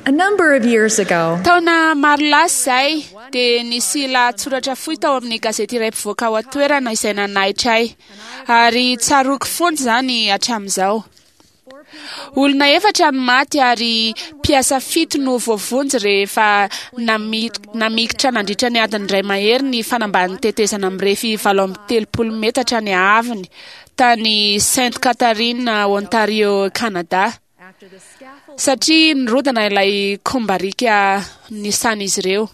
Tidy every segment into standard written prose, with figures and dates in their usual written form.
A number of years ago, Taona maro lasa izay dia nisy lahatsoratra fohy tao amin'ny gazety iray mpivoaka ao an-toerana izay nanaitra ahy, ary tsaroako foana izany hatramin'izao. Olona efatra no maty ary mpiasa fito no voavonjy rehefa namikitra nandritra ny adiny iray mahery ny fanambanin'ny tetezana mirefy 38 metatra ny haavony tany Sainte Catherine, Ontario, Canada, satria nirodana ilay kombarika nisan'izy ireo.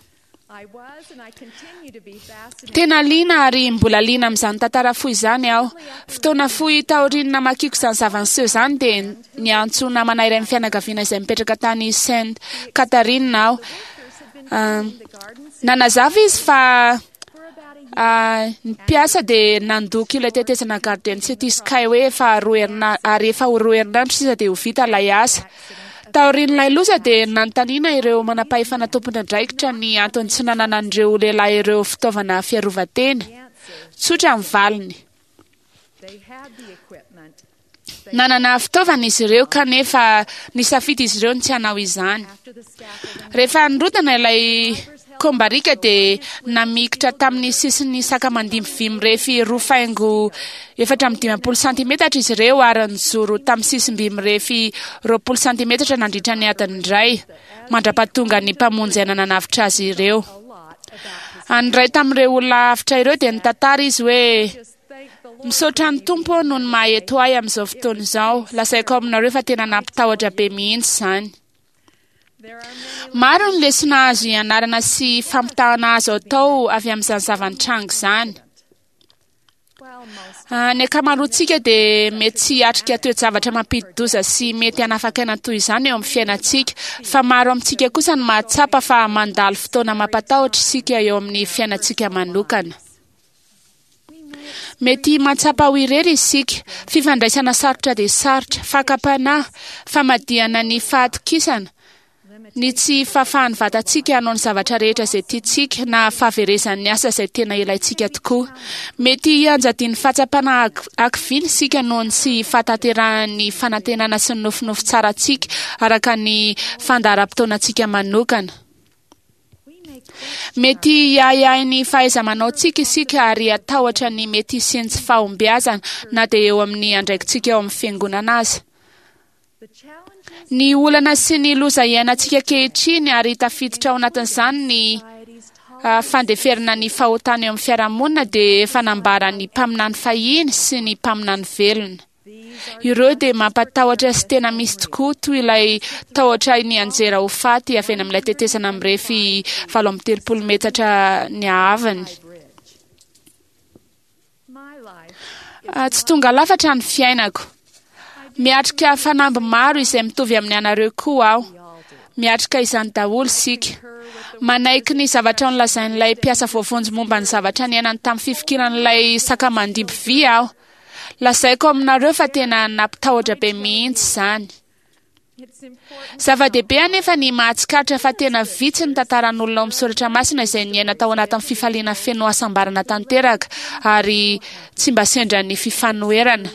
Tena liana ary mbola liana amin'izany tantara fohy izany aho. Fotoana fohy taorian'ny namakiako izany zava-niseho izany dia niantso namana iray amin'ny fianakaviana izay mipetraka tany Sainte Catherine aho. Nanazava izy fa ny mpiasa dia nandoko ilay tetezana Garden City Skyway efa roa herina- ary efa ho roa herinandro sisa dia ho vita ilay asa. Taorian'ilay loza dia nanontaniana ireo manam-pahefana tompon'andraikitra ny antony tsy nananan'ireo lehilahy ireo fitaovana fiarovan-tena. Tsotra ny valiny. Nanana fitaovana izy ireo kanefa nisafidy izy ireo ny tsy hanao izany. Rehefa nirodana ilay Kombarika dia namikitra tamin'ny sisin'ny sakamandimby vy mirefy roa faingo 54 santimetatra izy ireo ary nijoro tamin'ny sisim-by mirefy 20 santimetatra nandritra ny adiny iray, mandra-pahatonga ny mpamonjy aina nanavotra azy ireo. Ny iray tamin'ireo olona avotra ireo dia nitantara izy hoe, Misaotra ny Tompo aho noho ny maha eto ahy amin'izao fotoana izao. Lazaiko aminareo fa tena nampitahotra be mihitsy izany. Maro ny lesona azo ianarana sy fampitahana azo atao avy amin'izany zava-nitranga izany. Ny ankamaroantsika dia mety tsy hiatrika toe-javatra mampidi-doza sy mety hanafaka aina toy izany eo amin'ny fiainantsika, fa maro amintsika kosa no mahatsapa fa mandalo fotoana mampatahotra isika eo amin'ny fiainantsika manokana. Mety mahatsapa ho irery isika, fifandraisana sarotra dia sarotra, fakam-panahy, famadihana ny fahatokisana, ny tsy fahafahan'ny vatantsika hanao ny zavatra rehetra izay tiantsika, na fahaverezan'ny asa izay tena ilaintsika tokoa. Mety hianjadian'ny fahatsapana hakiviana isika noho ny tsy fahatanterahan'ny fanantenana sy ny nofinofy tsarantsika araka ny fandaharam-potoanantsika manokana. Mety hiahiahy ny fahaiza-manaontsika isika ary hatahotra ny mety hisian'ny tsy fahombiazana na dia eo amin'ny andraikitsika eo amin'ny fiangonana aza. Ny olana sy ny loza iainantsika ankehitriny ary tafiditra ao anatin'izany ny fandeferana ny fahotana eo amin'ny fiarahamonina dia efa nambaran'ny mpaminany fahiny sy ny mpaminany velona. Ireo dia mampatahotra sy tena misy tokoa, toy ilay tahotra nianjera ho faty avy eny amin'ilay tetezana mirefy 38 metatra ny haavony. Tsy tonga lafatra ny fiainako. Miatrika fanamby maro izay mitovy amin'ny anareo koa aho. Miatrika izany daholo isika. Manaiky ny zavatra nolazain'ilay mpiasa voavonjy momba ny zavatra niainany tamin'ny fifikiran'ilay sakamandimby vy aho. Lazaiko aminareo fa tena nampitahotra be mihitsy izany. Zava-dehibe anefa ny mahatsikaritra fa tena vitsy ny tantaran'olona ao amin'ny soratra masina izay niaina tao anatin'ny fifaliana feno hasambarana tanteraka ary tsy mba sendran'ny fifanoherana.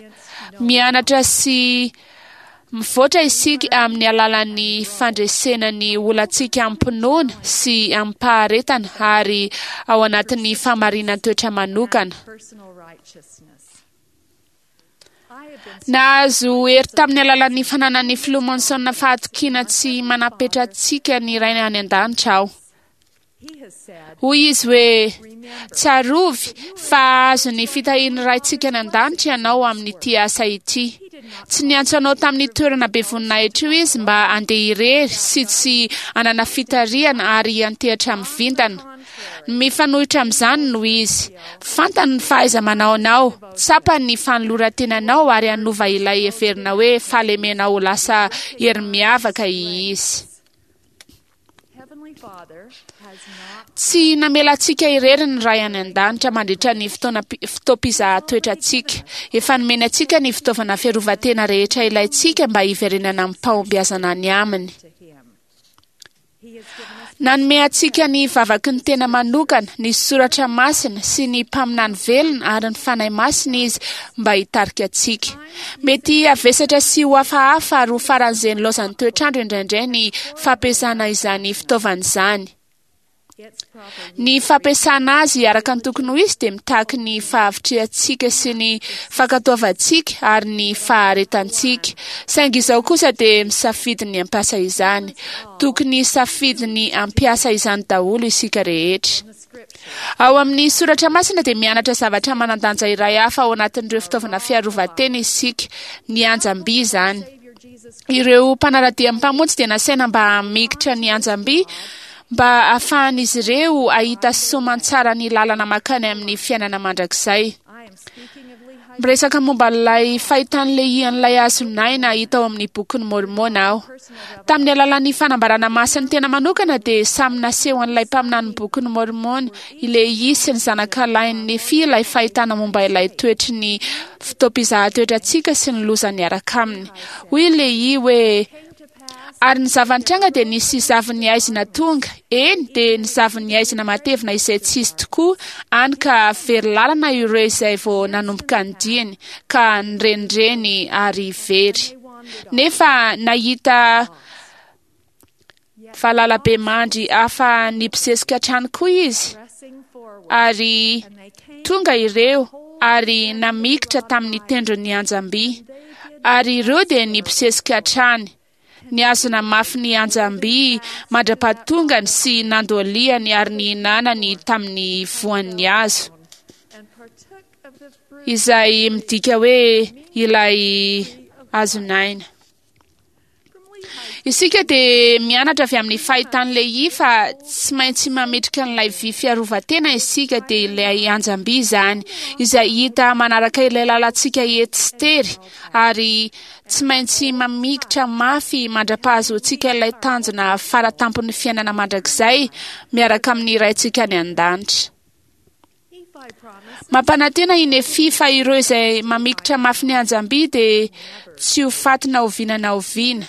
Mianatra sy mivoatra isika amin'ny alalan'ny fandresena ny olantsika amim-pinoana sy amim-paharetana ary ao anatin'ny fahamarinan-toetra manokana. Nahazo hery tamin'ny alalan'ny fananan'ny Filoha Monson fahatokiana tsy manam-petra antsika ny Rainy any An-danitra aho. Hoy izy hoe, Tsarovy fa hahazo ny fitahian'ny Raintsika any An-danitra ianao amin'ity asa ity. Tsy niantso anao tamin'ny toerana be voninahitra io Izy mba handeha irery sy tsy hanana fitarihana ary hiantehatra amin'ny vintana. Ny mifanohitra amin'izany no izy. Fantany ny fahaiza-manaonao, tsapany ny fanoloran-tenanao ary hanova ilay heverina hoe fahalemenao ho lasa hery miavaka izy. Tsy namela antsika irery ny Ray any An-danitra mandritra ny fotoana fotoam-pizahan-toetrantsika. Efa nomeny antsika ny fitaovana fiarovan-tena rehetra ilaintsika mba hiverenana amim-pahombiazana any Aminy. Nanome antsika ny vavaky ny tena manokana, ny soratra masina sy ny mpaminany velona ary ny Fanahy Masina Izy mba hitarika antsika. Mety havesatra sy ho hafahafa ary ho faran'izay nilaozan'ny toetr'andro indraindray ny fampiasana izany fitaovana izany. Ny fampiasana azy araka ny tokony ho izy dia mitaky ny fahavitrihantsika sy ny fankatoavantsika ary ny faharetantsika. Saingy izao kosa dia misafidy ny hampiasa izany. Tokony hisafidy ny hampiasa izany daholo isika rehetra. Ao amin'ny soratra masina dia mianatra zavatra manan-danja iray hafa ao anatin'ireo fitaovana fiarovan-tena isika, ny anjam-by izany. Ireo mpanara-dia ny Mpamonjy dia nasaina mba hamikitra ny anjam-by mba hahafahan'izy ireo hahita soamantsara ny lalana mankany amin'ny fiainana mandrakizay. Miresaka momba ilay fahitan'i Lehia an'ilay hazon'aina hita ao amin'ny Bokin'i Môrmôna aho. Tamin'ny alalan'ny fanambarana masin'ny tena manokana dia samy naseho an'ilay mpaminanin'ny Bokin'i Môrmôna, i Lehia sy ny zanakalahin'i Nefia ilay fahitana momba ilay toetry ny fotoam-pizahan-toetrantsika sy ny loza niaraka aminy. Hoy i Lehia hoe, Ary ny zava-nitranga dia nisy zavon'ny haizina tonga, eny, dia ny zavon'ny haizina matevina izay tsy izy tokoa, hany ka very lalana ireo izay vao nanomboka ny diany, ka nirenireny ary very. Nefa nahita valalabemandry hafa nibosesika hatrany koa izy, ary tonga ireo ary namikitra tamin'ny tendron'ny anjam-by, ary ireo dia nibosesika hatrany, nihazona mafy ny anjam-by mandra-pahatongany sy nandohalihany ary nihinanany tamin'ny voan'ny hazo, izay midika hoe ilay hazon'aina. Isika dia mianatra avy amin'ny fahitan'i Lehia fa tsy maintsy mametrika an'ilay vy fiarovan-tena isika, dia ilay anjam-by izany, izay hita manaraka ilay lalantsika ety sy tery, ary tsy maintsy mamikitra mafy mandra-pahazoantsika ilay tanjona fara-tampon'ny fiainana mandrakizay miaraka amin'ny Raintsika any An-danitra. Mampanantena i Nefia fa ireo izay mamikitra mafy ny anjam-by dia tsy ho faty na oviana na oviana.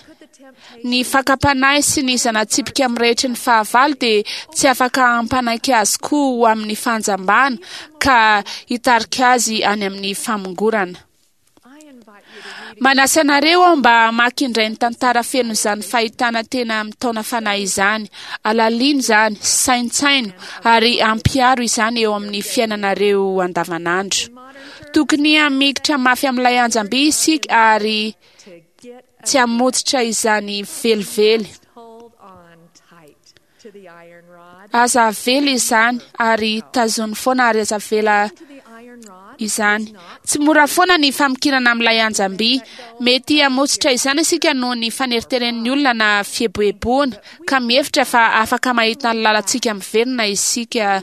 Ny fakam-panahy sy ny zana-tsipika mirehitry ny fahavalo dia tsy afaka hampanaiky azy koa ho amin'ny fanjambana ka hitarika azy any amin'ny famongorana. Manasa anareo aho mba hamaky indray ny tantara feno izany fahitana tena mitaona fanahy izany. Alalino izany, saintsaino, ary ampiharo izany eo amin'ny fiainanareo andavanandro. Tokony hamikitra mafy amin'ilay anjam-by isika ary tsy hamotsitra izany velively. Aza avela izany ary tazony foana ary aza avela izany. Tsy mora foana ny famikirana amin'ilay anjam-by. Mety hamotsitra izany isika noho ny faneriteren'ny olona na fieboeboana, ka mihevitra fa afaka mahita ny lalantsika miverina isika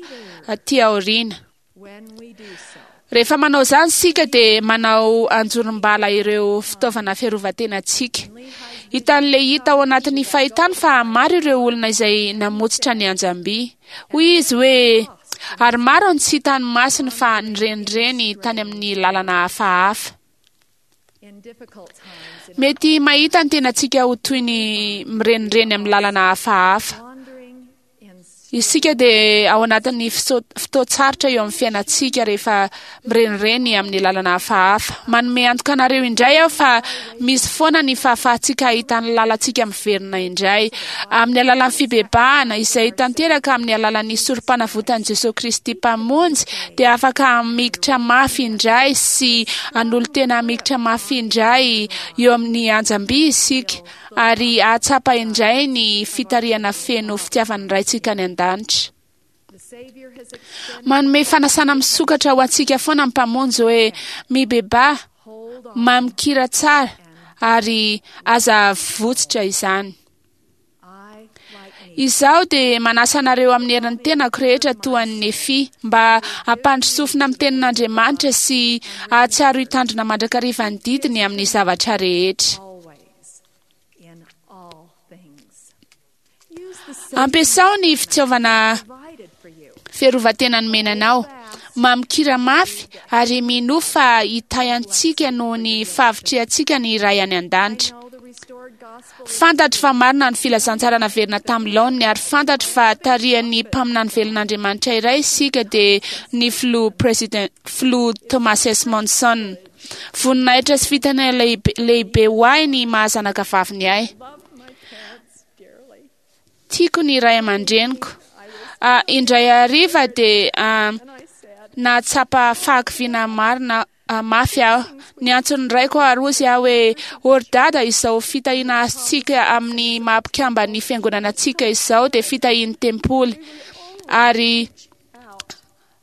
aty aoriana. Rehefa manao izany isika dia manao anjorom-bala ireo fitaovana fiarovan-tenantsika. Hitan'i Lehia tao anatin'ny fahitany fa maro ireo olona izay namotsitra ny anjam-by. Hoy izy hoe, Ary maro ny tsy hitan'ny masony fa nirenireny tany amin'ny lalana hafahafa. Mety mahita ny tenantsika ho toy ny mirenireny amin'ny lalana hafahafa. Isika dia ao anatin'ny fotoan-tsarotra eo amin'ny fiainantsika rehefa mirenireny amin'ny lalana hafahafa. Manome antoka anareo indray aho fa misy foana ny fahafahantsika hahita ny lalantsika miverina indray. Amin'ny alalan'ny fibebahana izay tanteraka amin'ny alalan'ny sorom-panavotan'i Jesoa Kristy Mpamonjy dia afaka hamikitra mafy indray sy hanolo-tena hamikitra mafy indray eo amin'ny anjam-by isika. ary hahatsapa indray ny fitarihana feno fitiavan'ny Raintsika any An-danitra. Manome fanasana misokatra ho antsika foana ny Mpamonjy hoe, Mibebaha, mamikira tsara, ary aza avotsitra izany. Izaho dia manasa anareo amin'ny herin'ny tenako rehetra toa an'i Nefia mba hampandry sofina amin'ny tenin'Andriamanitra sy hahatsiaro hitandrina mandrakariva ny didiny amin'ny zavatra rehetra. Ampiasao ny fitaovana fiarovan-tena nomena anao. Mamikira mafy ary minoa fa hitahy antsika noho ny fahavitrihantsika ny Ray any An-danitra. Fantatro fa marina ny filazantsara naverina tamin'ny laoniny ary fantatro fa tarihan'ny mpaminany velon'Andriamanitra iray isika dia ny filoha President filoha Thomas S. Monson. Voninahitra sy fitahiana lehibe, lehibe ho ahy ny maha zanaka vaviny ahy. Tiako ny ray aman-dreniko. Ah, indray hariva dia ah, nahatsapa fahakiviana marina mafy aho. Niantso ny raiko ary hozy aho hoe, Ô ry dada, izao fitahiana azontsika amin'ny maha mpikamban'ny fiangonana antsika izao dia fitahian'ny tempoly. Ary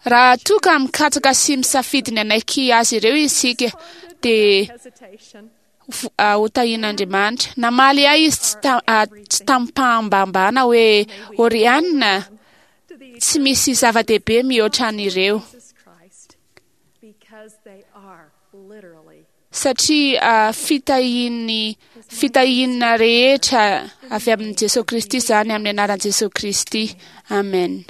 raha toa ka mikatsaka sy misafidy ny hanaiky azy ireo isika, dia ho tahian'Andriamanitra. Namaly ahy izy tsy tamim-pahambahambana hoe, Ô ry Anna, tsy misy zava-dehibe mihoatra an'ireo. Satria fitahian'ny fitahiana rehetra avy amin'i Jesoa Kristy izany amin'ny anaran'i Jesoa Kristy. Amen.